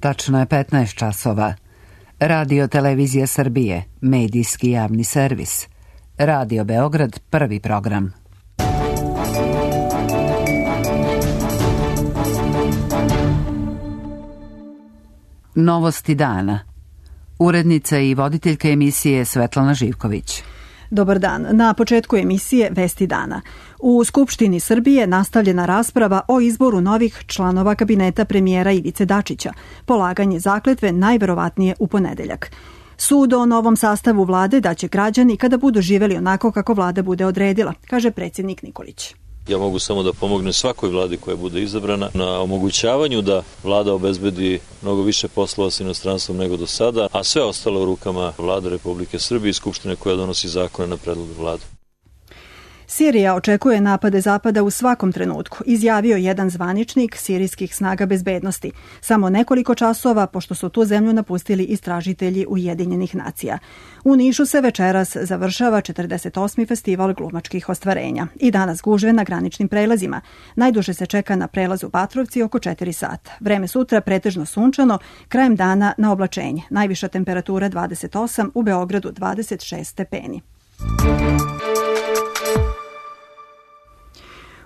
Tačno je 15 časova. Radio Televizija Srbije, medijski javni servis. Radio Beograd, prvi program. Novosti dana. Urednica i voditeljka emisije Svetlana Živković. Dobar dan. Na početku emisije Vesti dana. U Skupštini Srbije nastavljena rasprava o izboru novih članova kabineta premijera Ivice Dačića. Polaganje zakletve najverovatnije u ponedeljak. Sud o novom sastavu vlade daće građani kada budu živeli onako kako vlada bude odredila, kaže predsjednik Nikolić. Ja mogu samo da pomognem svakoj vladi koja bude izabrana na omogućavanju da vlada obezbedi mnogo više poslova sa inostranstvom nego do sada, a sve ostalo u rukama Vlade Republike Srbije i Skupštine koja donosi zakone na predlog vlade. Sirija očekuje napade Zapada u svakom trenutku, izjavio jedan zvaničnik sirijskih snaga bezbednosti. Samo nekoliko časova pošto su tu zemlju napustili istražitelji Ujedinjenih nacija. U Nišu se večeras završava 48. festival glumačkih ostvarenja. I danas gužve na graničnim prelazima. Najduže se čeka na prelazu Batrovci oko 4 sata. Vreme sutra pretežno sunčano, krajem dana na oblačenje. Najviša temperatura 28, u Beogradu 26 stepeni.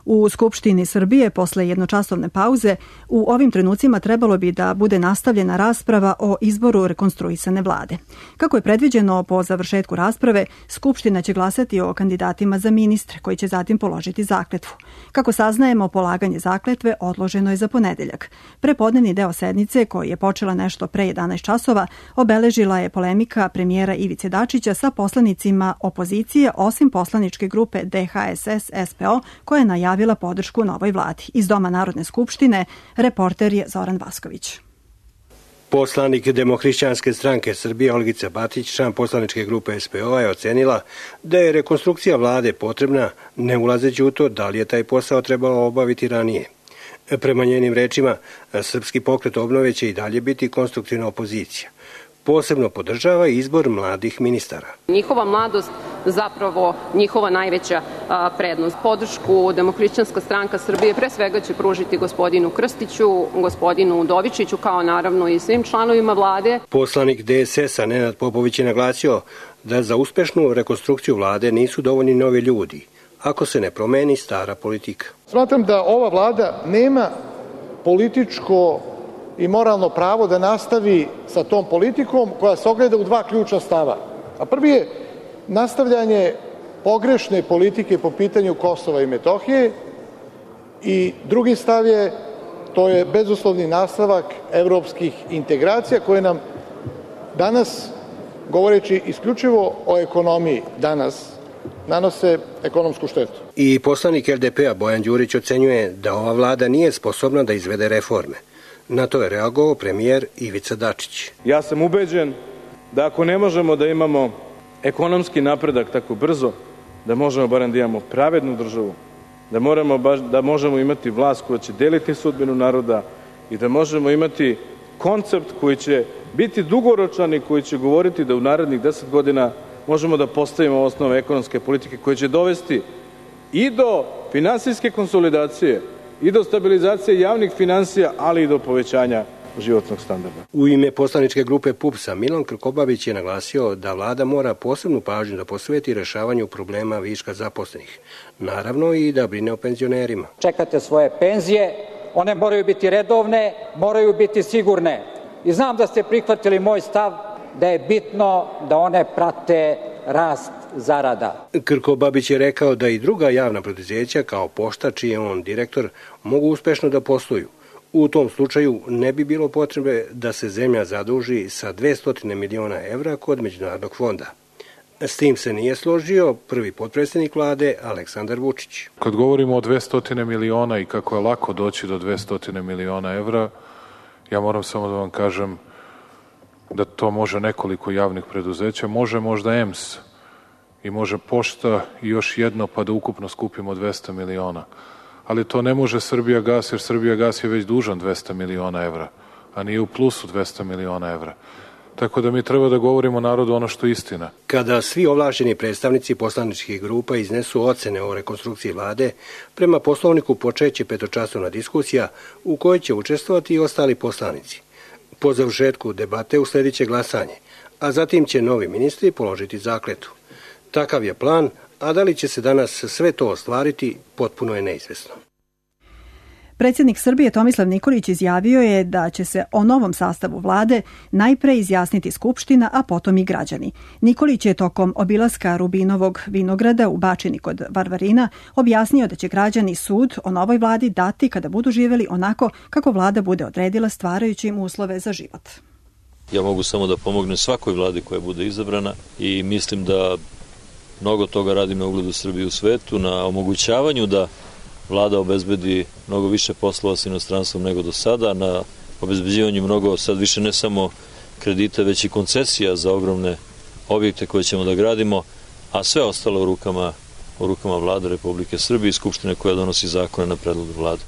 U Skupštini Srbije posle jednočasovne pauze u ovim trenucima trebalo bi da bude nastavljena rasprava o izboru rekonstruisane vlade. Kako je predviđeno po završetku rasprave, Skupština će glasati o kandidatima za ministre koji će zatim položiti zakletvu. Kako saznajemo, polaganje zakletve odloženo je za ponedeljak. Prepodnevni deo sednice, koji je počela nešto pre 11 časova, obeležila je polemika premijera Ivice Dačića sa poslanicima opozicije, osim poslaničke grupe DHSS-SPO, koja je najavila podršku novoj vladi. Iz Doma Narodne skupštine, reporter je Zoran Vasković. Poslanik Demohrišćanske stranke Srbije Olgica Batić, član poslaničke grupe SPO, je ocenila da je rekonstrukcija vlade potrebna, ne ulazeći u to da li je taj posao trebalo obaviti ranije. Prema njenim rečima, Srpski pokret obnove će i dalje biti konstruktivna opozicija. Posebno podržava izbor mladih ministara. Njihova mladost zapravo njihova najveća prednost. Podršku Demohrišćanska stranka Srbije pre svega će pružiti gospodinu Krstiću, gospodinu Udovičiću, kao naravno i svim članovima vlade. Poslanik DSS-a Nenad Popović je naglasio da za uspešnu rekonstrukciju vlade nisu dovoljni novi ljudi, ako se ne promeni stara politika. Smatram da ova vlada nema političko i moralno pravo da nastavi sa tom politikom koja se ogleda u dva ključna stava. A prvi je nastavljanje pogrešne politike po pitanju Kosova i Metohije i drugi stav je, to je bezuslovni nastavak evropskih integracija koje nam danas, govoreći isključivo o ekonomiji danas, nanose ekonomsku štetu. I poslanik LDP-a Bojan Đurić ocenjuje da ova vlada nije sposobna da izvede reforme. Na to je reagovao premijer Ivica Dačić. Ja sam ubeđen da ako ne možemo da imamo ekonomski napredak tako brzo, da možemo barem da imamo pravednu državu, da možemo imati vlast koja će deliti sudbinu naroda i da možemo imati koncept koji će biti dugoročan i koji će govoriti da u narednih 10 godina možemo da postavimo osnove ekonomske politike koje će dovesti i do finansijske konsolidacije, i do stabilizacije javnih finansija, ali i do povećanja životnog standarda. U ime poslaničke grupe PUPS-a Milan Krkobabić je naglasio da vlada mora posebnu pažnju da posveti rešavanju problema viška zaposlenih. Naravno i da brine o penzionerima. Čekate svoje penzije, one moraju biti redovne, moraju biti sigurne. I znam da ste prihvatili moj stav da je bitno da one prate rast zarada. Krkobabić je rekao da i druga javna preduzeća kao Pošta, čiji je on direktor, mogu uspešno da posluju. U tom slučaju ne bi bilo potrebe da se zemlja zaduži sa 200 miliona evra kod Međunarodnog fonda. S tim se nije složio prvi potpredsjednik vlade Aleksandar Vučić. Kad govorimo o 200 miliona i kako je lako doći do 200 miliona evra, ja moram samo da vam kažem da to može nekoliko javnih preduzeća, može možda EMS i može Pošta i još jedno pa da ukupno skupimo 200 miliona. Ali to ne može Srbijagas, jer Srbijagas je već dužan 200 miliona evra, a nije u plusu 200 miliona evra. Tako da mi treba da govorimo narodu ono što je istina. Kada svi ovlašćeni predstavnici poslaničkih grupa iznesu ocene o rekonstrukciji vlade, prema Poslovniku počeće petočasovna diskusija u kojoj će učestvovati i ostali poslanici. Po završetku debate usledit će glasanje, a zatim će novi ministri položiti zakletvu. Takav je plan, a da li će se danas sve to ostvariti, potpuno je neizvesno. Predsjednik Srbije Tomislav Nikolić izjavio je da će se o novom sastavu vlade najpre izjasniti Skupština, a potom i građani. Nikolić je tokom obilaska Rubinovog vinograda u Bačini kod Varvarina objasnio da će građani sud o novoj vladi dati kada budu živjeli onako kako vlada bude odredila, stvarajući im uslove za život. Ja mogu samo da pomognem svakoj vladi koja bude izabrana i mislim da mnogo toga radim na ugledu Srbije u svetu, na omogućavanju da vlada obezbedi mnogo više poslova s inostranstvom nego do sada, na obezbeđivanju mnogo, sad više ne samo kredita, već i koncesija za ogromne objekte koje ćemo da gradimo, a sve ostalo u rukama vlade Republike Srbije i Skupštine koja donosi zakone na predlog vlade.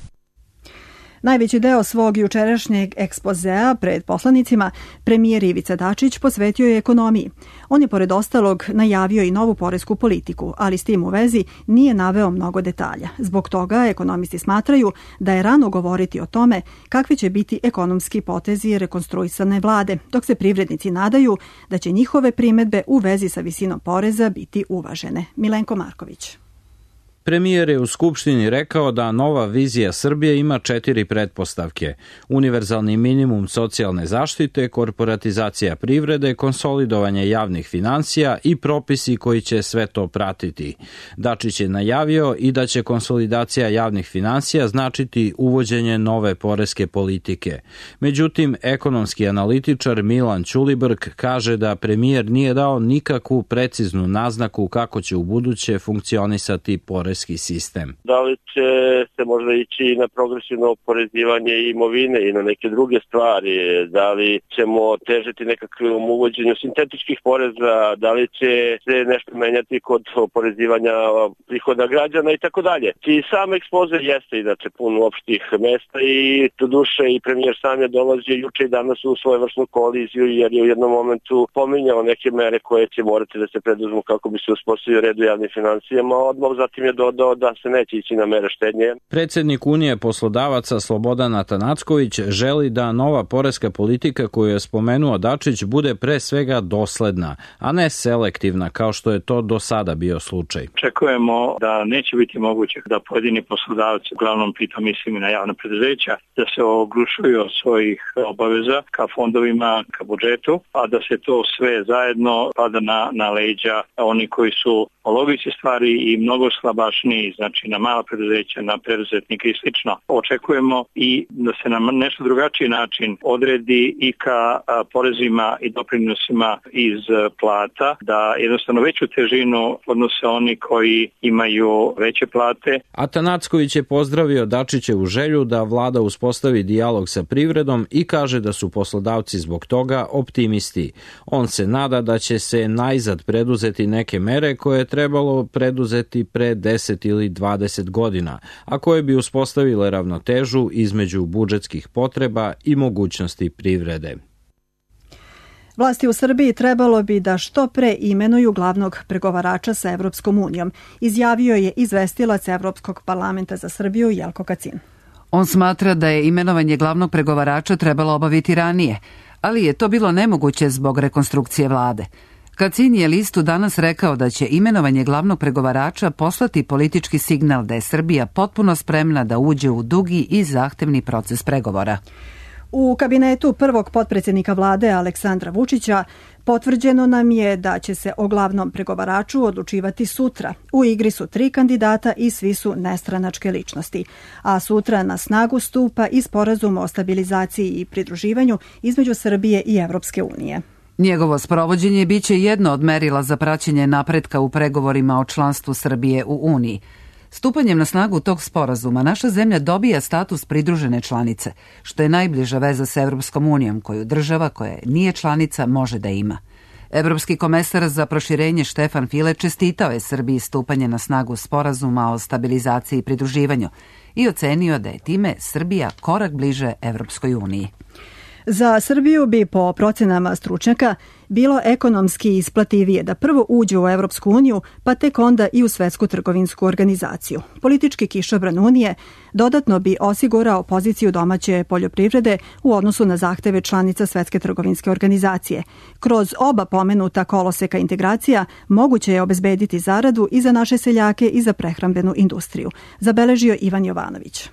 Najveći deo svog jučerašnjeg ekspozea pred poslanicima premijer Ivica Dačić posvetio je ekonomiji. On je pored ostalog najavio i novu poresku politiku, ali s tim u vezi nije naveo mnogo detalja. Zbog toga ekonomisti smatraju da je rano govoriti o tome kakvi će biti ekonomski potezi rekonstruisane vlade, dok se privrednici nadaju da će njihove primedbe u vezi sa visinom poreza biti uvažene. Milenko Marković. Premijer je u Skupštini rekao da nova vizija Srbije ima 4 pretpostavke: univerzalni minimum socijalne zaštite, korporatizacija privrede, konsolidovanje javnih finansija i propisi koji će sve to pratiti. Dačić je najavio i da će konsolidacija javnih finansija značiti uvođenje nove poreske politike. Međutim, ekonomski analitičar Milan Ćulibrk kaže da premijer nije dao nikakvu preciznu naznaku kako će ubuduće funkcionisati poreski sistem. Da li će se možda ići na progresivno oporezivanje imovine i na neke druge stvari, da li ćemo težiti nekakvom uvođenju sintetičkih poreza, da li će se nešto menjati kod oporezivanja prihoda građana i tako dalje. I sam ekspoze jeste inače pun opštih mesta i do duše i premijer sam je dolazio juče i danas u svojevrsnu koliziju jer je u jednom momentu pominjao neke mere koje će morati da se preduzmu kako bi se uspostavio red u javnim finansijama, a odmah zatim je da se neće ići na mere štednje. Predsjednik Unije poslodavaca Slobodan Atanacković želi da nova poreska politika koju je spomenuo Dačić bude pre svega dosledna, a ne selektivna kao što je to do sada bio slučaj. Očekujemo da neće biti moguće da pojedini poslodavci, uglavnom pritom mislim i na javna preduzeća, da se oglušuju od svojih obaveza ka fondovima, ka budžetu, a da se to sve zajedno pada na leđa oni koji su po logici stvari i mnogo slabašniji, znači na mala preduzeća, na preduzetnike i slično. Očekujemo i da se na nešto drugačiji način odredi i ka porezima i doprinosima iz plata, da jednostavno veću težinu odnose oni koji imaju veće plate. Atanacković je pozdravio Dačićevu želju da vlada uspostavi dijalog sa privredom i kaže da su poslodavci zbog toga optimisti. On se nada da će se najzad preduzeti neke mere koje je trebalo preduzeti pre 10 ili 20 godina, a koje bi uspostavile ravnotežu između budžetskih potreba i mogućnosti privrede. Vlasti u Srbiji trebalo bi da što pre imenuju glavnog pregovarača sa Evropskom unijom, izjavio je izvestilac Evropskog parlamenta za Srbiju Jelko Kacin. On smatra da je imenovanje glavnog pregovarača trebalo obaviti ranije, ali je to bilo nemoguće zbog rekonstrukcije vlade. Kacin je listu danas rekao da će imenovanje glavnog pregovarača poslati politički signal da je Srbija potpuno spremna da uđe u dugi i zahtevni proces pregovora. U kabinetu prvog potpredsjednika vlade Aleksandra Vučića potvrđeno nam je da će se o glavnom pregovaraču odlučivati sutra. U igri su 3 kandidata i svi su nestranačke ličnosti. A sutra na snagu stupa i sporazum o stabilizaciji i pridruživanju između Srbije i Evropske unije. Njegovo sprovođenje biće jedno od merila za praćenje napretka u pregovorima o članstvu Srbije u Uniji. Stupanjem na snagu tog sporazuma naša zemlja dobija status pridružene članice, što je najbliža veza sa Evropskom unijom koju država koja nije članica može da ima. Evropski komesar za proširenje Štefan File čestitao je Srbiji stupanje na snagu sporazuma o stabilizaciji i pridruživanju i ocenio da je time Srbija korak bliže Evropskoj uniji. Za Srbiju bi po procenama stručnjaka bilo ekonomski isplativije da prvo uđe u Evropsku uniju, pa tek onda i u Svetsku trgovinsku organizaciju. Politički kišobran Unije dodatno bi osigurao poziciju domaće poljoprivrede u odnosu na zahteve članica Svetske trgovinske organizacije. Kroz oba pomenuta koloseka integracija moguće je obezbediti zaradu i za naše seljake i za prehrambenu industriju, zabeležio Ivan Jovanović.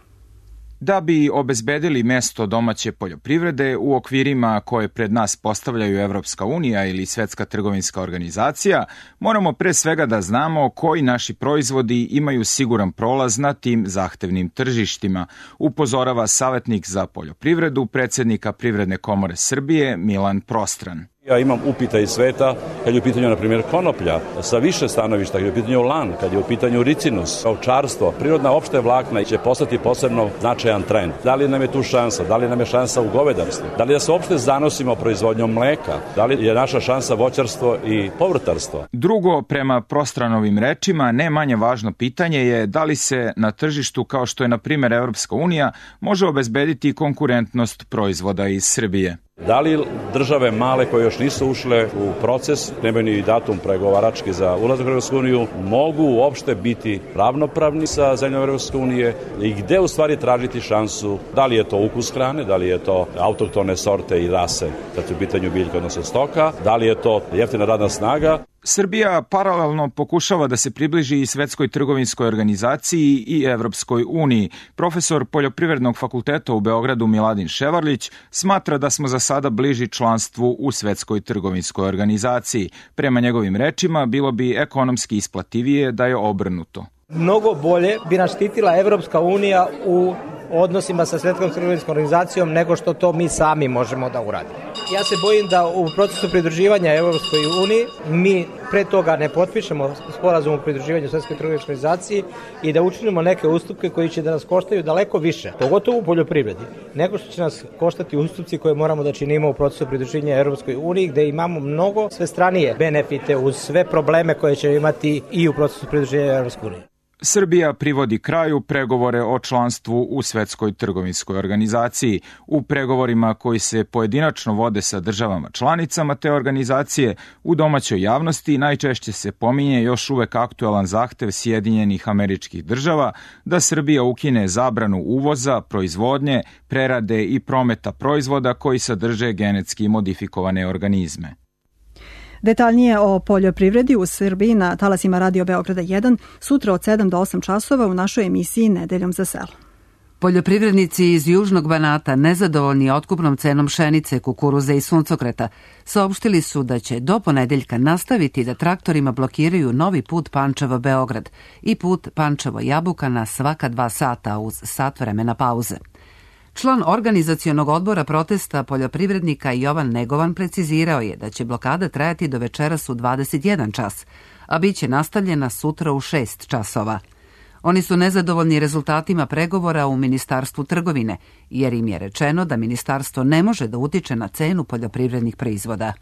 Da bi obezbedili mesto domaće poljoprivrede u okvirima koje pred nas postavljaju Evropska unija ili Svetska trgovinska organizacija, moramo pre svega da znamo koji naši proizvodi imaju siguran prolaz na tim zahtevnim tržištima, upozorava savetnik za poljoprivredu predsednika Privredne komore Srbije Milan Prostran. Ja imam upita iz sveta kad je u pitanju, na primjer, konoplja sa više stanovišta, kad je u pitanju lan, kad je u pitanju ricinus, ovčarstvo, prirodna opšte vlakna će postati posebno značajan trend. Da li nam je tu šansa? Da li nam je šansa u govedarstvu? Da li da se uopšte zanosimo proizvodnjom mleka? Da li je naša šansa voćarstvo i povrtarstvo? Drugo, prema Prostranovim rečima, ne manje važno pitanje je da li se na tržištu, kao što je na primjer Evropska unija, može obezbediti konkurentnost proizvoda iz Srbije. Da li države male koje još nisu ušle u proces, nemaju ni datum pregovarački za ulazak u Evropsku uniju, mogu uopšte biti ravnopravni sa zemljom Evropske unije i gde u stvari tražiti šansu, da li je to ukus hrane, da li je to autohtone sorte i rase, kad je u pitanju biljka odnosno stoka, da li je to jeftina radna snaga. Srbija paralelno pokušava da se približi i Svetskoj trgovinskoj organizaciji i Evropskoj uniji. Profesor Poljoprivrednog fakulteta u Beogradu Miladin Ševarlić smatra da smo za sada bliži članstvu u Svetskoj trgovinskoj organizaciji. Prema njegovim rečima, bilo bi ekonomski isplativije da je obrnuto. Mnogo bolje bi nas štitila Evropska unija u odnosima sa Svetskom trgovinskom organizacijom nego što to mi sami možemo da uradimo. Ja se bojim da u procesu pridruživanja Evropskoj uniji mi pre toga ne potpišemo sporazum o pridruživanju Svetskoj trgovinskoj organizaciji i da učinimo neke ustupke koji će da nas koštaju daleko više, pogotovo u poljoprivredi, nego što će nas koštati ustupci koje moramo da činimo u procesu pridruživanja Evropskoj uniji, gde imamo mnogo svestranije benefite uz sve probleme koje će imati i u procesu pridruživanja Evropskoj uniji. Srbija privodi kraju pregovore o članstvu u Svetskoj trgovinskoj organizaciji. U pregovorima koji se pojedinačno vode sa državama članicama te organizacije, u domaćoj javnosti najčešće se pominje još uvek aktuelan zahtev Sjedinjenih Američkih Država da Srbija ukine zabranu uvoza, proizvodnje, prerade i prometa proizvoda koji sadrže genetski modifikovane organizme. Detaljnije o poljoprivredi u Srbiji na talasima Radio Beograda 1 sutra od 7 do 8 časova u našoj emisiji Nedeljom za selo. Poljoprivrednici iz Južnog Banata, nezadovoljni otkupnom cenom pšenice, kukuruza i suncokreta, saopštili su da će do ponedeljka nastaviti da traktorima blokiraju novi put Pančevo-Beograd i put Pančevo-Jabuka na svaka 2 sata uz sat vremena pauze. Član organizacionog odbora protesta poljoprivrednika Jovan Negovan precizirao je da će blokada trajati do večeras u 21 čas, a bit će nastavljena sutra u 6 časova. Oni su nezadovoljni rezultatima pregovora u Ministarstvu trgovine, jer im je rečeno da ministarstvo ne može da utiče na cenu poljoprivrednih proizvoda.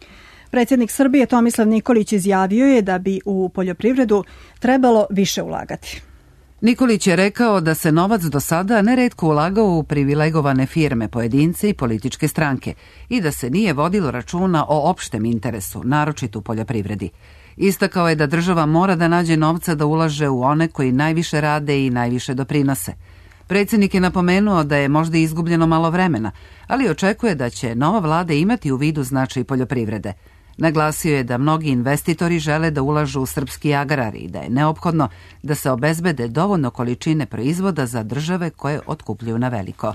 Predsjednik Srbije Tomislav Nikolić izjavio je da bi u poljoprivredu trebalo više ulagati. Nikolić je rekao da se novac do sada neretko ulagao u privilegovane firme, pojedince i političke stranke i da se nije vodilo računa o opštem interesu, naročito u poljoprivredi. Istakao je da država mora da nađe novca da ulaže u one koji najviše rade i najviše doprinose. Predsjednik je napomenuo da je možda izgubljeno malo vremena, ali očekuje da će nova vlada imati u vidu značaj poljoprivrede. Naglasio je da mnogi investitori žele da ulažu u srpski agrar i da je neophodno da se obezbede dovoljno količine proizvoda za države koje otkupljuju na veliko.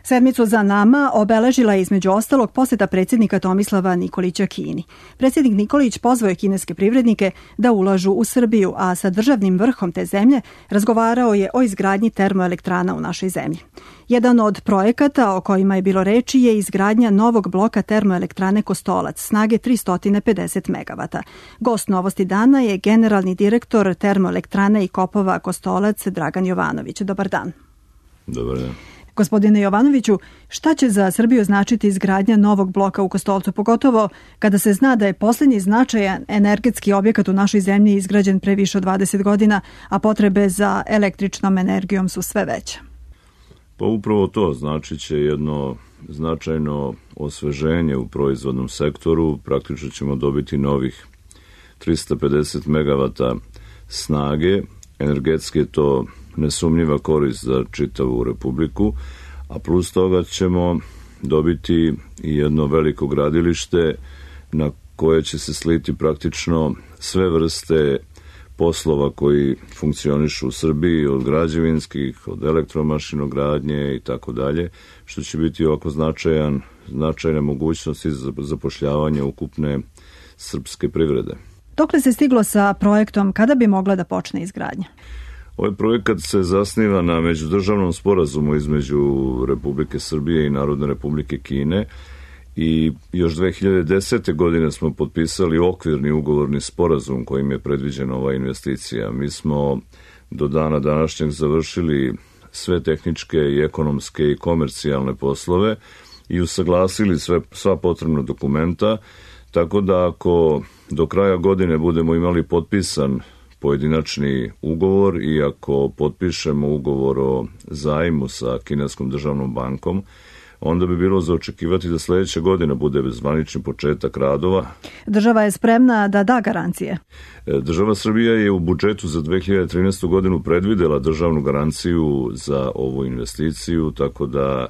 Sedmicu za nama obeležila je između ostalog poseta predsjednika Tomislava Nikolića Kini. Predsjednik Nikolić pozvao je kineske privrednike da ulažu u Srbiju, a sa državnim vrhom te zemlje razgovarao je o izgradnji termoelektrana u našoj zemlji. Jedan od projekata o kojima je bilo reči je izgradnja novog bloka termoelektrane Kostolac snage 350 MW. Gost Novosti dana je generalni direktor termoelektrane i kopova Kostolac Dragan Jovanović. Dobar dan. Dobar dan. Gospodine Jovanoviću, šta će za Srbiju značiti izgradnja novog bloka u Kostolcu, pogotovo kada se zna da je posljednji značajan energetski objekat u našoj zemlji izgrađen pre više od 20 godina, a potrebe za električnom energijom su sve veće? Pa upravo to znači će jedno značajno osveženje u proizvodnom sektoru. Praktično ćemo dobiti novih 350 MW snage. Energetski je to nesumnjiva korist za čitavu Republiku, a plus toga ćemo dobiti i jedno veliko gradilište na koje će se sliti praktično sve vrste poslova koji funkcionišu u Srbiji, od građevinskih, od elektromašinogradnje i tako dalje, što će biti ovako značajna mogućnost za zapošljavanje ukupne srpske privrede. Dokle se stiglo sa projektom, kada bi mogla da počne izgradnja? Ovaj projekat se zasniva na međudržavnom sporazumu između Republike Srbije i Narodne Republike Kine i još 2010. godine smo potpisali okvirni ugovorni sporazum kojim je predviđena ova investicija. Mi smo do dana današnjeg završili sve tehničke i ekonomske i komercijalne poslove i usaglasili sva potrebna dokumenta, tako da ako do kraja godine budemo imali potpisan pojedinačni ugovor i ako potpišemo ugovor o zajmu sa Kineskom državnom bankom, onda bi bilo za očekivati da sledeća godina bude zvanični početak radova. Država je spremna da da garancije. Država Srbija je u budžetu za 2013. godinu predvidela državnu garanciju za ovu investiciju, tako da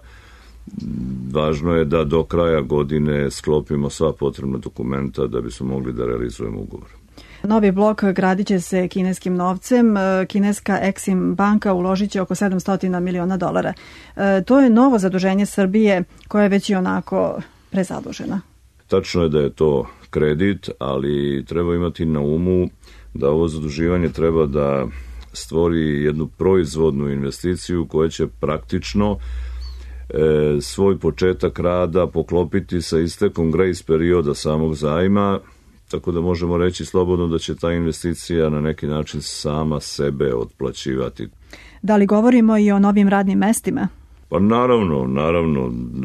važno je da do kraja godine sklopimo sva potrebna dokumenta da bismo mogli da realizujemo ugovor. Novi blok gradit će se kineskim novcem. Kineska Exim banka uložit će oko $700 miliona. To je novo zaduženje Srbije koja je već i onako prezadužena. Tačno je da je to kredit, ali treba imati na umu da ovo zaduživanje treba da stvori jednu proizvodnu investiciju koja će praktično svoj početak rada poklopiti sa istekom grace perioda samog zajma, tako da možemo reći slobodno da će ta investicija na neki način sama sebe otplaćivati. Da li govorimo i o novim radnim mestima? Pa naravno,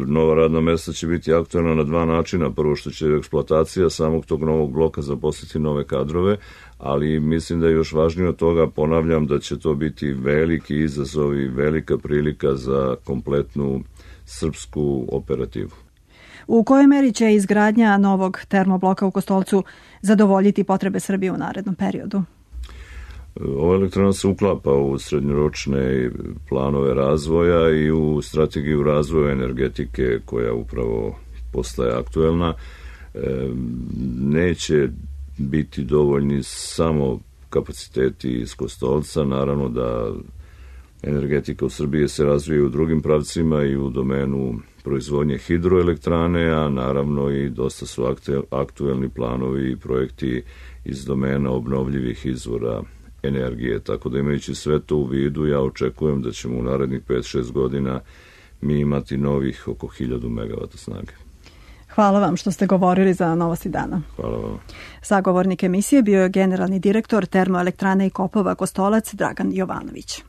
nova radna mesta će biti aktualna na dva načina. Prvo što će eksploatacija samog tog novog bloka zaposliti nove kadrove, ali mislim da je još važnije od toga, ponavljam, da će to biti veliki izazov i velika prilika za kompletnu srpsku operativu. U kojoj meri će izgradnja novog termobloka u Kostolcu zadovoljiti potrebe Srbije u narednom periodu? Ova elektrana se uklapa u srednjoročne planove razvoja i u strategiju razvoja energetike koja upravo postaje aktuelna. Neće biti dovoljni samo kapaciteti iz Kostolca, naravno da energetika u Srbiji se razvija u drugim pravcima i u domenu proizvodnje hidroelektrane, a naravno i dosta su aktuelni planovi i projekti iz domena obnovljivih izvora energije. Tako da imajući sve to u vidu, ja očekujem da ćemo u narednih 5-6 godina mi imati novih oko 1000 MW snage. Hvala vam što ste govorili za Novosti dana. Hvala vam. Sagovornik emisije bio je generalni direktor Termoelektrane i kopova Kostolac Dragan Jovanović.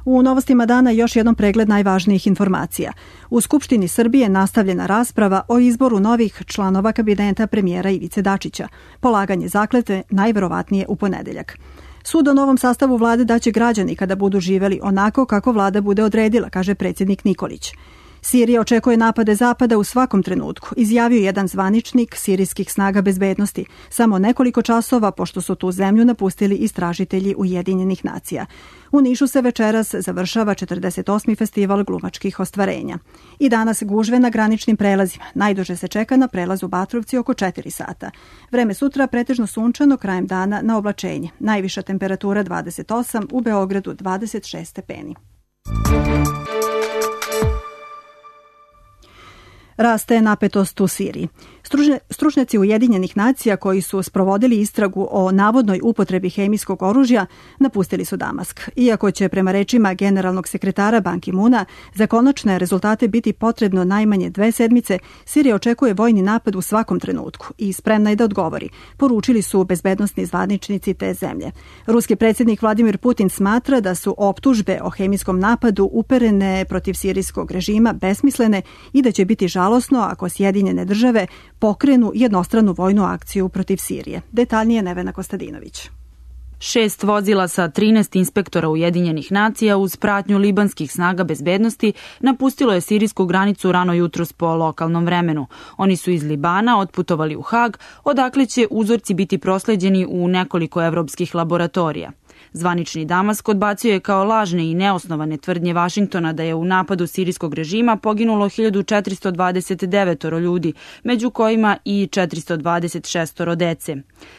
U Novostima dana još jednom pregled najvažnijih informacija. U Skupštini Srbije nastavljena rasprava o izboru novih članova kabineta premijera Ivice Dačića. Polaganje zakletve najverovatnije u ponedeljak. Sud o novom sastavu vlade daće građani kada budu živeli onako kako vlada bude odredila, kaže predsjednik Nikolić. Sirija očekuje napade Zapada u svakom trenutku, izjavio jedan zvaničnik sirijskih snaga bezbednosti, samo nekoliko časova pošto su tu zemlju napustili istražitelji Ujedinjenih nacija. U Nišu se večeras završava 48. festival glumačkih ostvarenja. I danas gužve na graničnim prelazima. Najduže se čeka na prelazu Batrovci oko 4 sata. Vreme sutra pretežno sunčano, krajem dana na oblačenje. Najviša temperatura 28, u Beogradu 26 stepeni. Raste napetost u Siriji. Stručnjaci Ujedinjenih nacija koji su sprovodili istragu o navodnoj upotrebi hemijskog oružja napustili su Damask. Iako će prema rečima generalnog sekretara Ban Ki-muna za konačne rezultate biti potrebno najmanje 2 sedmice, Sirija očekuje vojni napad u svakom trenutku i spremna je da odgovori, poručili su bezbednosni zvaničnici te zemlje. Ruski predsjednik Vladimir Putin smatra da su optužbe o hemijskom napadu uperene protiv sirijskog režima besmislene i da će biti žalosno ako Sjedinjene države pokrenu jednostranu vojnu akciju protiv Sirije. Detaljnije Nevena Kostadinović. 6 vozila sa 13 inspektora Ujedinjenih nacija uz pratnju libanskih snaga bezbednosti napustilo je sirijsku granicu rano jutros po lokalnom vremenu. Oni su iz Libana otputovali u Hag, odakle će uzorci biti prosleđeni u nekoliko evropskih laboratorija. Zvanični Damask odbacio je kao lažne i neosnovane tvrdnje Vašingtona da je u napadu sirijskog režima poginulo 1429 ljudi, među kojima i 426 dece.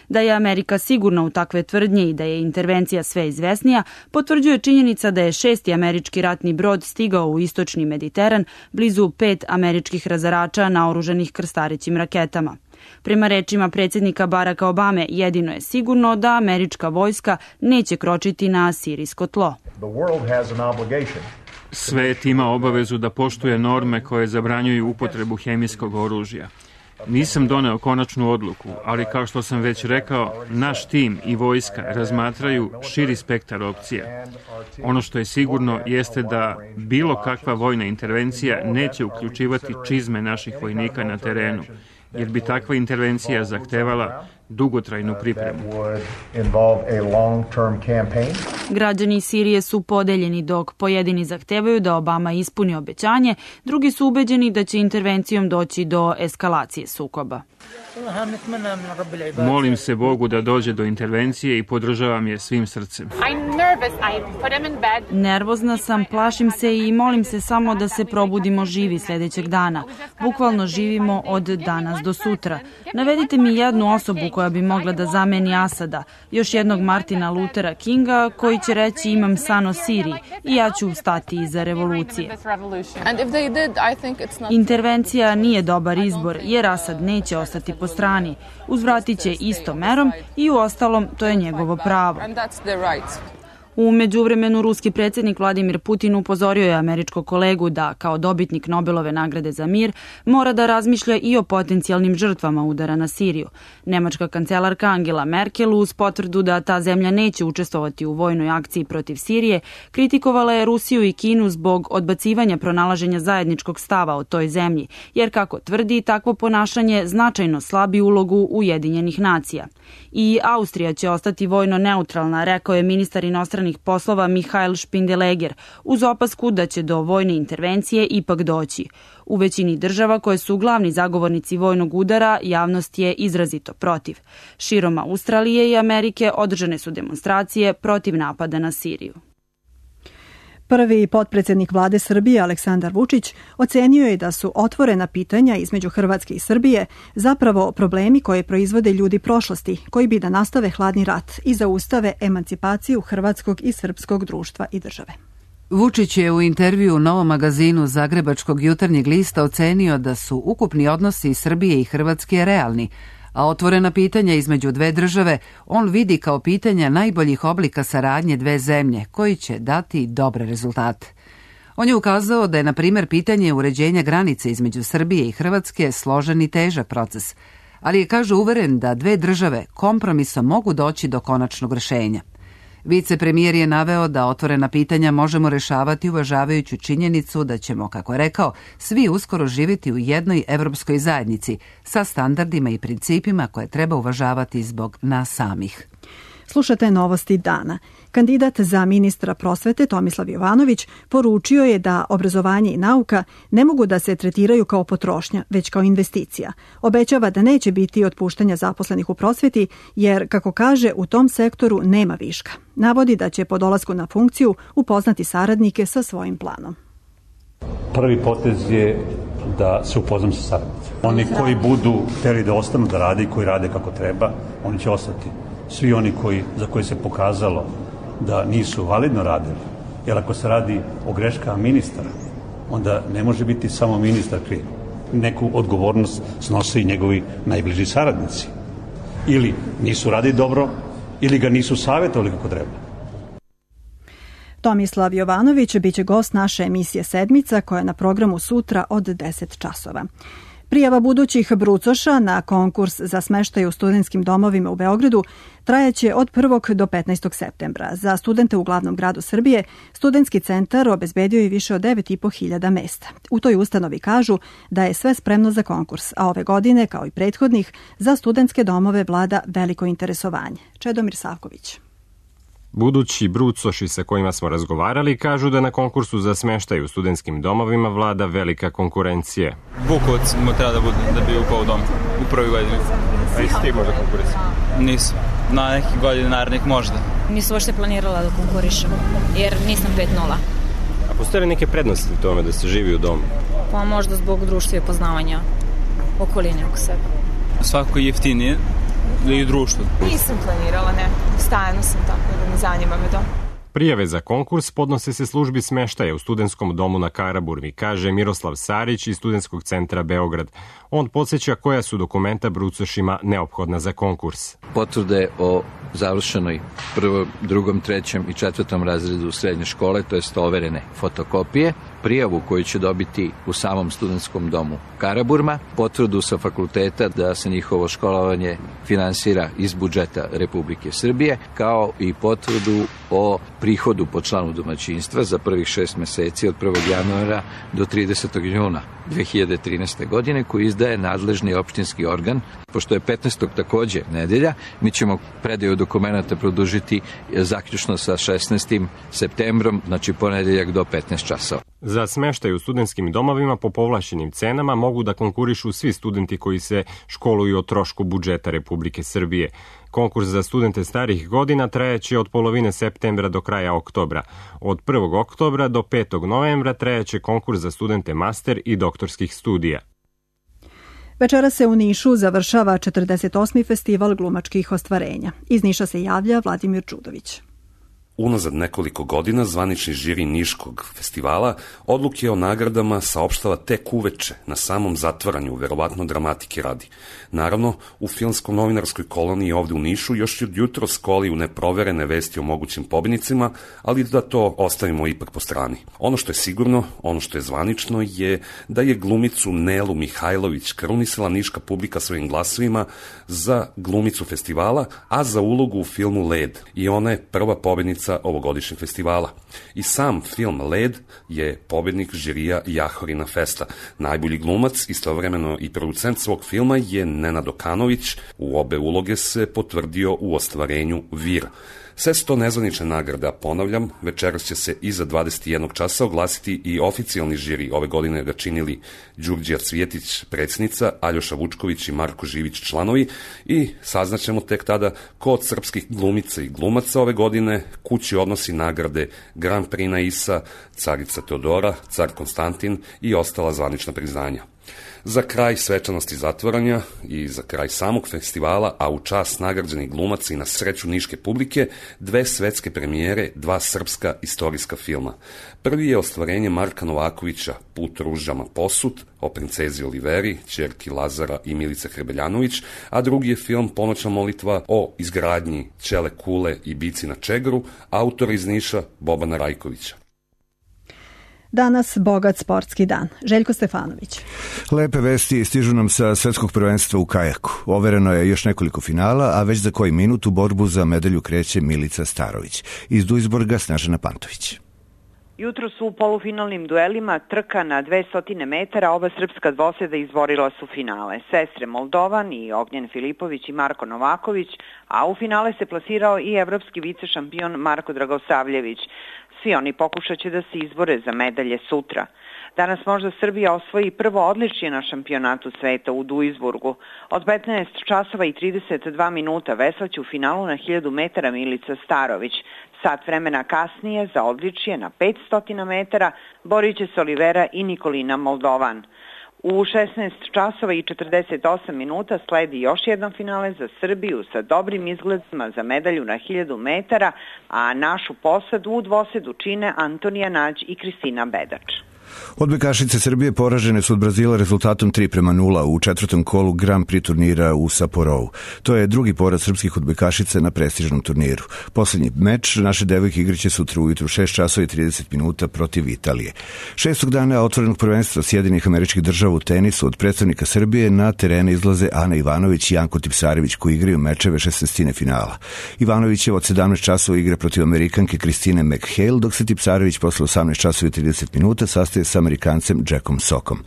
Da je Amerika sigurna u takve tvrdnje i da je intervencija sve izvesnija, potvrđuje činjenica da je 6. američki ratni brod stigao u istočni Mediteran blizu 5 američkih razarača naoružanih krstarećim raketama. Prema rečima predsjednika Baracka Obame, jedino je sigurno da američka vojska neće kročiti na sirijsko tlo. Svet ima obavezu da poštuje norme koje zabranjuju upotrebu hemijskog oružja. Nisam doneo konačnu odluku, ali kao što sam već rekao, naš tim i vojska razmatraju širi spektar opcija. Ono što je sigurno jeste da bilo kakva vojna intervencija neće uključivati čizme naših vojnika na terenu, jer bi takva intervencija zahtevala dugotrajnu pripremu. Građani Sirije su podeljeni, dok pojedini zahtevaju da Obama ispuni obećanje, drugi su ubeđeni da će intervencijom doći do eskalacije sukoba. Molim se Bogu da dođe do intervencije i podržavam je svim srcem. Nervozna sam, plašim se i molim se samo da se probudimo živi sljedećeg dana. Bukvalno živimo od danas do sutra. Navedite mi jednu osobu koja bi mogla da zameni Asada, još jednog Martina Luthera Kinga koji će reći imam san o Siriji i ja ću stati iza revolucije. Intervencija nije dobar izbor jer Asad neće ostati po strani. Uzvratit će istom merom i u ostalom to je njegovo pravo. U međuvremenu ruski predsjednik Vladimir Putin upozorio je američkog kolegu da, kao dobitnik Nobelove nagrade za mir, mora da razmišlja i o potencijalnim žrtvama udara na Siriju. Nemačka kancelarka Angela Merkel uz potvrdu da ta zemlja neće učestvovati u vojnoj akciji protiv Sirije, kritikovala je Rusiju i Kinu zbog odbacivanja pronalaženja zajedničkog stava o toj zemlji, jer kako tvrdi, takvo ponašanje značajno slabi ulogu Ujedinjenih nacija. I Austrija će ostati vojno neutralna, rekao je ministar inostranih poslova Mihael Špindeleger, uz opasku da će do vojne intervencije ipak doći. U većini država koje su glavni zagovornici vojnog udara, javnost je izrazito protiv. Širom Australije i Amerike održane su demonstracije protiv napada na Siriju. Prvi potpredsjednik vlade Srbije Aleksandar Vučić ocenio je da su otvorena pitanja između Hrvatske i Srbije zapravo problemi koje proizvode ljudi prošlosti, koji bi da nastave hladni rat i zaustave emancipaciju hrvatskog i srpskog društva i države. Vučić je u intervju u Novom magazinu Zagrebačkog jutarnjeg lista ocenio da su ukupni odnosi Srbije i Hrvatske realni, a otvorena pitanja između dve države on vidi kao pitanja najboljih oblika saradnje dve zemlje, koji će dati dobre rezultate. On je ukazao da je, na primjer, pitanje uređenja granice između Srbije i Hrvatske složen i težak proces, ali je, kaže, uveren da dve države kompromisom mogu doći do konačnog rješenja. Vicepremijer je naveo da otvorena pitanja možemo rešavati uvažavajući činjenicu da ćemo, kako je rekao, svi uskoro živjeti u jednoj evropskoj zajednici sa standardima i principima koje treba uvažavati zbog nas samih. Slušate novosti dana. Kandidat za ministra prosvete Tomislav Jovanović poručio je da obrazovanje i nauka ne mogu da se tretiraju kao potrošnja, već kao investicija. Obećava da neće biti otpuštanja zaposlenih u prosveti, jer, kako kaže, u tom sektoru nema viška. Navodi da će po dolasku na funkciju upoznati saradnike sa svojim planom. Prvi potez je da se upoznam sa saradnicima. Oni koji budu hteli da ostanu da rade i koji rade kako treba, oni će ostati. Svi oni za koje se pokazalo da nisu validno radili, jer ako se radi o greškama ministara, onda ne može biti samo ministar kriv. Neku odgovornost snose i njegovi najbliži saradnici. Ili nisu radili dobro, ili ga nisu savjetovali kako treba. Tomislav Jovanović biće gost naše emisije Sedmica, koja je na programu sutra od 10 časova. Prijava budućih brucoša na konkurs za smeštaj u studentskim domovima u Beogradu trajaće od 1. do 15. septembra. Za studente u glavnom gradu Srbije, studentski centar obezbedio je više od 9.500 mesta. U toj ustanovi kažu da je sve spremno za konkurs, a ove godine, kao i prethodnih, za studentske domove vlada veliko interesovanje. Čedomir Savković. Budući brucoši sa kojima smo razgovarali kažu da na konkursu za smeštaj u studentskim domovima vlada velika konkurencija. Bukovac mu treba da bi upao u dom u prvoj godini. A jesi ti možda konkurencija? Nisam. Na nekih godina narednih možda. Nisam uopšte planirala da konkurišem, jer nisam 5-0. A postoje li neke prednosti u tome da se živi u domu? Pa možda zbog društva i poznavanja okoline oko sebe. Svakako jeftinije i društvo. Nisam planirala, ne. Stajano sam tako da ne zanima me dom. Prijave za konkurs podnose se službi smeštaja u studentskom domu na Karaburmi, kaže Miroslav Sarić iz Studentskog centra Beograd. On podsjeća koja su dokumenta brucošima neophodna za konkurs. Potvrde o završenoj prvom, drugom, trećem i četvrtom razredu srednje škole, to jest overene fotokopije, prijavu koju će dobiti u samom studentskom domu Karaburma, potvrdu sa fakulteta da se njihovo školovanje finansira iz budžeta Republike Srbije, kao i potvrdu o prihodu po članu domaćinstva za prvih 6 meseci od 1. januara do 30. juna 2013. godine, koji izdaje nadležni opštinski organ. Pošto je 15. takođe nedelja, mi ćemo predaju dokumenta produžiti zaključno sa 16. septembrom, znači ponedeljak do 15 časova. Za smeštaj u studentskim domovima po povlašćenim cenama mogu da konkurišu svi studenti koji se školuju o trošku budžeta Republike Srbije. Konkurs za studente starih godina trajaće od polovine septembra do kraja oktobra. Od 1. oktobra do 5. novembra trajaće konkurs za studente master i doktorskih studija. Večera se u Nišu završava 48. festival glumačkih ostvarenja. Iz Niša se javlja Vladimir Čudović. Unazad nekoliko godina zvanični žiri Niškog festivala odluke o nagradama saopštava tek uveče na samom zatvaranju, verovatno dramatike radi. Naravno, u filmsko-novinarskoj koloniji ovde u Nišu još od jutro skoli u neproverene vesti o mogućim pobednicima, ali da to ostavimo ipak po strani. Ono što je sigurno, ono što je zvanično je da je glumicu Nelu Mihajlović krunisala niška publika svojim glasovima za glumicu festivala, a za ulogu u filmu Led. I ona je prva pobednica ovogodišnjeg festivala. I sam film Led je pobednik žirija Jahorina Festa. Najbolji glumac, istovremeno i producent svog filma je Nenad Okanović. U obe uloge se potvrdio u ostvarenju Vir. Sve su to nezvanične nagrade, a ponavljam, večeras će se iza 21 časa oglasiti i oficijalni žiri. Ove godine ga činili Đurđija Cvjetić, predsjednica, Aljoša Vučković i Marko Živić, članovi, i saznaćemo tek tada ko od srpskih glumica i glumaca ove godine kući odnosi nagrade Grand Prix Naisa, Carica Teodora, Car Konstantin i ostala zvanična priznanja. Za kraj svečanosti zatvaranja i za kraj samog festivala, a u čast nagrađenih glumaca i na sreću niške publike, 2 svetske premijere, 2 srpska istorijska filma. Prvi je ostvarenje Marka Novakovića, Put ružama posut, o princezi Oliveri, ćerki Lazara i Milice Hrebeljanović, a drugi je film Ponoćna molitva o izgradnji Ćele kule i bici na Čegru, autora iz Niša Bobana Rajkovića. Danas bogat sportski dan. Željko Stefanović. Lepe vesti stižu nam sa svetskog prvenstva u kajaku. Overeno je još nekoliko finala, a već za koji minut u borbu za medalju kreće Milica Starović. Iz Duisburga Snežana Pantović. Jutro su u polufinalnim duelima trka na 200 metara, oba srpska dvoseda izborila su finale. Sestre Moldovan i Ognjen Filipović i Marko Novaković, a u finale se plasirao i evropski vicešampion Marko Dragosavljević. Svi oni pokušat će da se izbore za medalje sutra. Danas možda Srbija osvoji prvo odličje na šampionatu sveta u Duisburgu. Od 15 časova i 32 minuta veslaće u finalu na 1000 metara Milica Starović. Sat vremena kasnije za odličje na 500 metara borit će se Olivera i Nikolina Moldovan. U 16 časova i 48 minuta sledi još jedan finale za Srbiju sa dobrim izgledima za medalju na 1000 metara, a našu posadu u dvosedu čine Antonija Nađ i Kristina Bedač. Odbojkašice Srbije poražene su od Brazila rezultatom 3:0 u četvrtom kolu Grand Prix turnira u Saporovu. To je drugi poraz srpskih odbojkašica na prestižnom turniru. Poslednji meč naše devojke igraće sutra ujutru 6 časova i 30 minuta protiv Italije. 6. dana otvorenog prvenstva Sjedinjenih Američkih Država u tenisu od predstavnika Srbije na terene izlaze Ana Ivanović i Janko Tipsarević, koji igraju mečeve 16. finala. Ivanović je od 17 časova igra protiv Amerikanke Kristine McHale, dok se Tipsarević posle 18 časova i 30 minuta sastaje sa Amerikancem Jackom Sokom.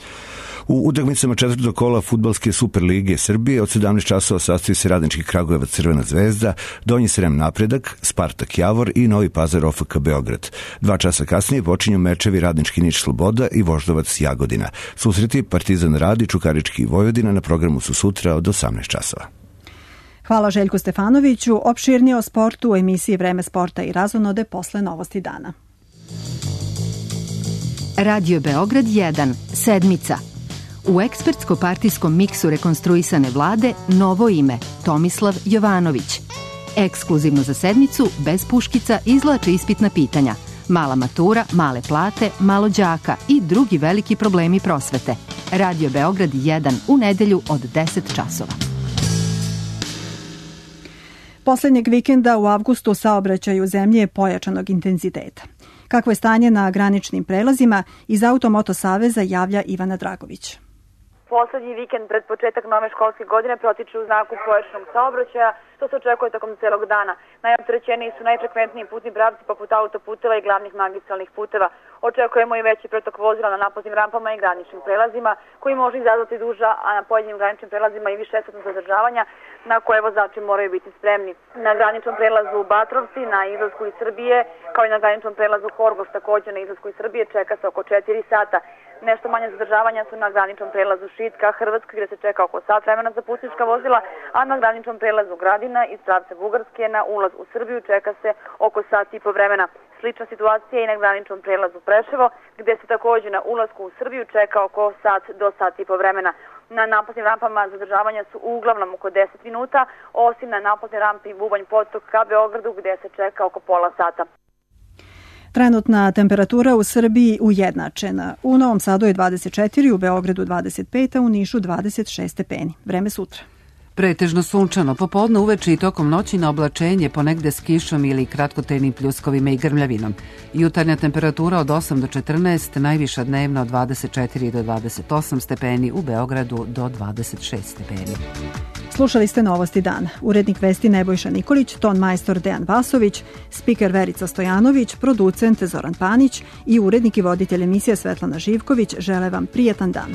U utakmicama četvrtog kola fudbalske Superlige Srbije od 17 časova sastoji se Radnički Kragujevac Crvena zvezda, Donji Srem Napredak, Spartak Javor i Novi Pazar OFK Beograd. 2 časa kasnije počinju mečevi Radnički Niš Sloboda i Voždovac Jagodina. Susreti Partizan Radi, Čukarički i Vojvodina na programu su sutra od 18 časova. Hvala Željku Stefanoviću. Opširnije o sportu u emisiji Vreme sporta i razonode posle Novosti dana. Radio Beograd 1, sedmica. U ekspertsko-partijskom miksu rekonstruisane vlade novo ime, Tomislav Jovanović. Ekskluzivno za sedmicu, bez puškica, izvlače ispitna pitanja. Mala matura, male plate, malo đaka i drugi veliki problemi prosvete. Radio Beograd 1 u nedelju od 10 časova. Poslednjeg vikenda u avgustu saobraćaj u zemlji je pojačanog intenziteta. Kakvo je stanje na graničnim prelazima, iz Automoto saveza javlja Ivana Dragović. Poslednji vikend pred početak nove školske godine protiče u znaku pojačanog saobraćaja, što se očekuje tokom celog dana. Najopterećeniji su najfrekventniji putni pravci poput autoputeva i glavnih magistralnih puteva. Očekujemo i veći protok vozila na naplatnim rampama i graničnim prelazima, koji može izazvati duža, a na pojedinim graničnim prelazima i višesatno zadržavanja, na koje vozači moraju biti spremni. Na graničnom prelazu u Batrovci, na izlasku iz Srbije, kao i na graničnom prelazu Horgoš, takođe na izlasku iz Srbije, čeka se oko 4 sata. Nešto manje zadržavanja su na graničnom prelazu Šitka, Hrvatska, gde se čeka oko sat vremena za putnička vozila, a na graničnom prelazu Gradina iz pravca Bugarske na ulaz u Srbiju čeka se oko sat i po vremena. Slična situacija je i na graničnom prelazu Preševo, gde se takođe na ulasku u Srbiju čeka oko sat do sat i po vremena. Na naplatnim rampama zadržavanja su uglavnom oko 10 minuta, osim na naplatnoj rampi Bubanj Potok ka Beogradu, gde se čeka oko pola sata. Trenutna temperatura u Srbiji ujednačena. U Novom Sadu je 24, u Beogradu 25, a u Nišu 26 stepeni. Vreme sutra. Pretežno sunčano, popodne uveče i tokom noći na oblačenje, ponegde s kišom ili kratkotrajnim pljuskovima i grmljavinom. Jutarnja temperatura od 8 do 14, najviša dnevna od 24 do 28 stepeni, u Beogradu do 26 stepeni. Slušali ste Novosti dana. Urednik vesti Nebojša Nikolić, ton majstor Dejan Vasović, spiker Verica Stojanović, producent Zoran Panić i urednik i voditelj emisije Svetlana Živković žele vam prijatan dan.